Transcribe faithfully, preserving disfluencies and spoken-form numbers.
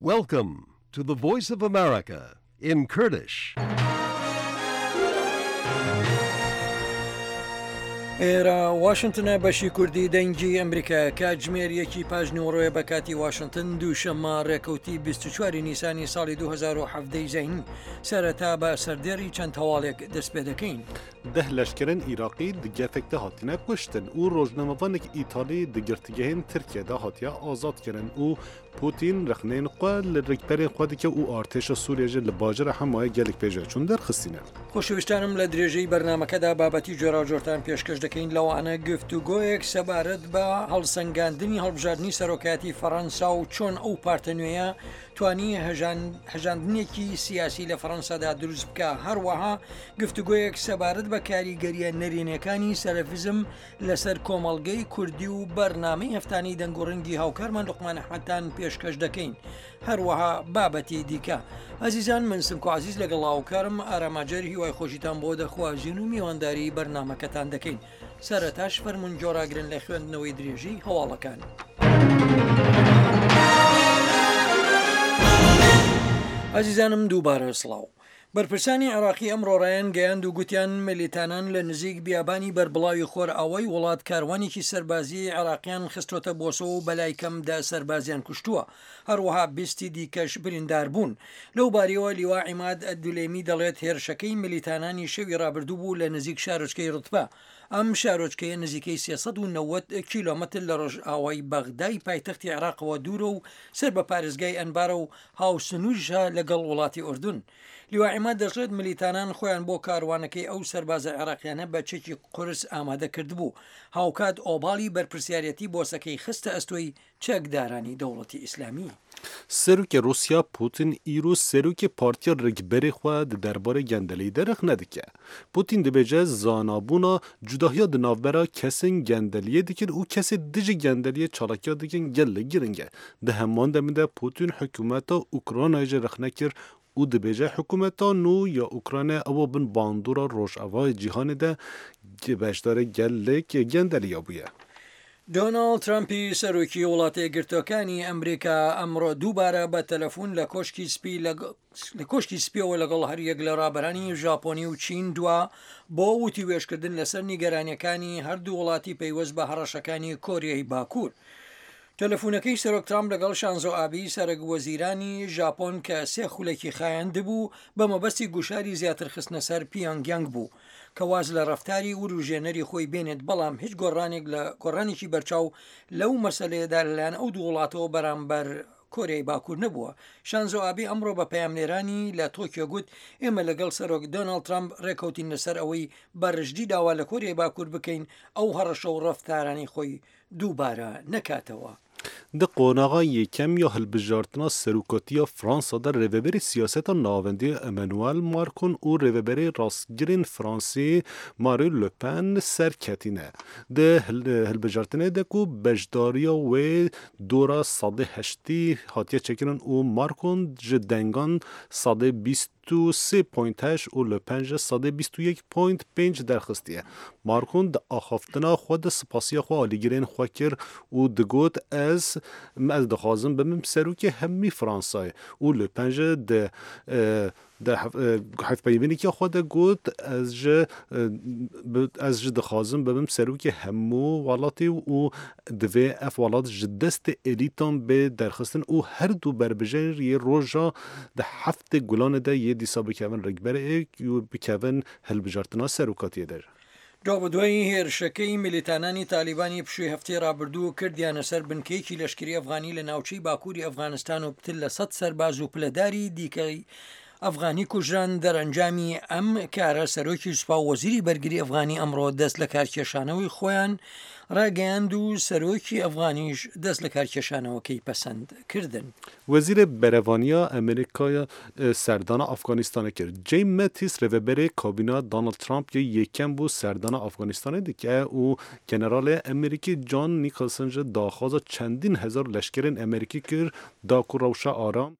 Welcome to the Voice of America in Kurdish. ئێرە واشنتنە بەشی کوردی دەنگی ئەمریکا کاتژمێر یەکی پاش نیوەڕۆیە بە کاتی واشنتن دووشەممە ڕێکەوتی بیست و چوار نیسانی ساڵی دوو هەزار و حەڤدە ی زەینی سەرەتا بە سەردێڕی چەند هەواڵێک دەست پێ دەکەین. دە لەشکرên Îraqî di gefek de hatine kuştin û rojnamevanek Îtalî di girtîgehên Tirkiye de hatiye azad kirin û Putin rexneyên xwe li rikberên xwe dike û artêşa Sûriye jî li bajara Hemayê gelek pêşveçûn derxistîne. خۆشەویستانم لە درێژەی بەرنامەکەدا بابەتی جۆراوجۆرتان پێشکەش دەکەین لەوانە گفتوگۆیەک سەبارەت بە هەڵسەنگاندنی هەڵبژاردنی سەرۆکایەتی فەڕەنسا و چۆن ئەو پارتە نوێیە توانی هەژاندنێکی سیاسی لە فەڕەنسادا دروست بکە. هەروەها گفتوگۆیەک سەبارەت بە کاریگەریە نەرێنیەکانی سەلەفیزم لەسەر کۆمەڵگەی کوردی و بەرنامەی هەفتانی دەنگ و ڕەنگی هاوکارمان لوقمان ئەحمەدتان پێشکەش دەکەین. هەروەها بابەتی دیکە. ئازیزان من سمکۆ عزیز لەگەڵ هاوکارم ئاراماجەر هیوای خۆشیتان بۆ دەخوازین و میوانداری بەرنامەکەتان دەکەین. سەرەتاش فەرمونون جۆراگرن لە خوێندنەوەی درێژی هەواڵەکان. ئازیزانم دووبارە سڵاو. بەرپرسانی عێراقی ئەمڕۆ ڕایان گەیاند و گوتیان ملیتانان لە نزیک بیابانی بەربڵاوی خۆرئاوای وڵات کاروانێکی سەربازی عێراقیان خستۆتە بۆسە و بەلای کەم دە سەربازیان کوشتووە، هەروەها بیستی دیکەش بریندار بوون. لەو باریەوە لیوا عیماد ئەدولێمی دەڵێت هێرشەکەی ملیتانانی شەوی ڕابردوو بوو لە نزیک شارۆچکەی ڕوتبە. ئەم شارۆچکەیە نزیکەی سێ سەد و نەوەد کیلۆمەتر لە ڕۆژئاوای بەغدای پایتەختی عێراقەوە دوورە و سەر بە پارێزگای ئەنبارە و هاوسنوورژە لەگەڵ وڵاتی ئوردن. لیوا عیماد دەشڵێت ملیتانان خۆیان بۆ کاروانەکەی ئەو سەربازە عێراقیانە بە چەکی قورس ئامادە کردبوو. هاوکات ئۆباڵی بەرپرسیارەتی بۆسەکەی خستە ئەستۆی چەکدارانی دەوڵەتی ئیسلامی. سەرۆکی رووسیا پوتین ئیرۆ سەرۆکی پارتیا ڕکبەرê xwe di derbarê gendeliyê de rexne dike. Putin dibêje zanabûna cudahiya di navbera kesên gendeliyê dikin û kesê dijî gendeliyê çalakiya dikin gelek giring e. Di heman demê de Putin hikûmeta Ukraynayê jî rexne kir û dibêje hikûmeta nû ya Ukraynayê ew bin bandora rojavayê cîhanê de beşdarê gelek gendeliya bûye. دۆناڵد ترەمپی سەرۆکی وڵاتە یەکگرتووەکانی ئەمریکا ئەمڕۆ دووبارە بە تەلەفۆن لە کۆشکی سپی لە کۆشکی سپیەوە لەگەڵ هەریەک لە ڕابەرانی ژاپۆنی و چین دوا بۆ وتی وێشکردن لەسەر نیگەرانیەکانی هەردوو وڵاتی پەیوەست بە هەڕەشەکانی کۆریای باکوور. تەلەفۆنەکەی سەرۆک ترامپ لەگەڵ شانزۆ ئابی سەرەک وەزیرانی ژاپۆن کە سێ خولێکی خایاندبوو بە مەبەستی گوشاری زیاتر خستنە سەر پیانگیانگ بوو کە واز لە ڕەفتاری وروژێنەری خۆی بێنێت، بەڵام هیچ گۆڕانێک لە گۆڕانێکی بەرچاو لەو مەسلەیەدا لەلایەن ئەو دوو وڵاتەوە بەرامبەر کۆریای باکوور نەبووە. شانزۆ ئابی ئەمڕۆ بە پەیامنێرانی لە تۆکیۆ گوت ئێمە لەگەڵ سەرۆک دۆناڵد ترامپ ڕێکەوتین لەسەر ئەوەی بەڕژدی داوا لە کۆریای باکوور بکەین ئەو هەڕەشە و ڕەفتارانی خۆی دووبارە نەکاتەوە. Di qonaxa yekem ya hilbijartina serokatiya Fransa de rêveberê siyaseta navendî Emmanuel Macron û rêveberê rastgirên Fransî Marine Le Pen serketîne. Di hilbijartinê de ku beşdariya wê dora sedê heştî hatiye çêkirin û Macron ji dengan sedê bîst û sê point heşt û Le Pen ji sedê bîst û yek point pênc derxistiye. Macron di axaftina xwe de spasiya xwe alîgirên xwe kir û digot ez ez dixwazim bibim serokê hemî Fransayê û Le Pen ji di di hevpeyvîneke xwe de got ez ji ez ji dixwazim bibim serokê hemû welatê û divê ev welat ji destê elîtan bê derxistin û her du berbijêr yê roja di heftê gulanê de yê dîsa bikevin rikberê û bikevin hilbijartina serokatiyê de. دوابەدوای هێرشەکەی ملیتانانی تالیبانی پشووی هەفتەی ڕابردوو کردیانە سەر بنکەیەکی لەشکری ئەفغانی لە ناوچەی باکووری ئەفغانستان و پتر لە سەد سەرباز و پلەداری دیکەی ئەفغانی کوژران. دەرەنجامی ئەم کارە سەرۆکی سوپا و وەزیری بەرگری ئەفغانی ئەمڕۆ دەست لە کارکێشانەوەی خۆیان ڕاگەیاند و سەرۆکی ئەفغانیش دەست لە کارکێشانەوەکەی پەسەند کردن. وەزیرê Berevaniya Amerîkaya serdana Afganistanê kir. Jim Mattis rêveberê kabîna Donald Trump yê yekem bû serdana Afganistanê dike û generalê Amerîkî John Nicholson ji daxwaza çendîn hezar leşkerên Amerîkî kir da ku rewşa aram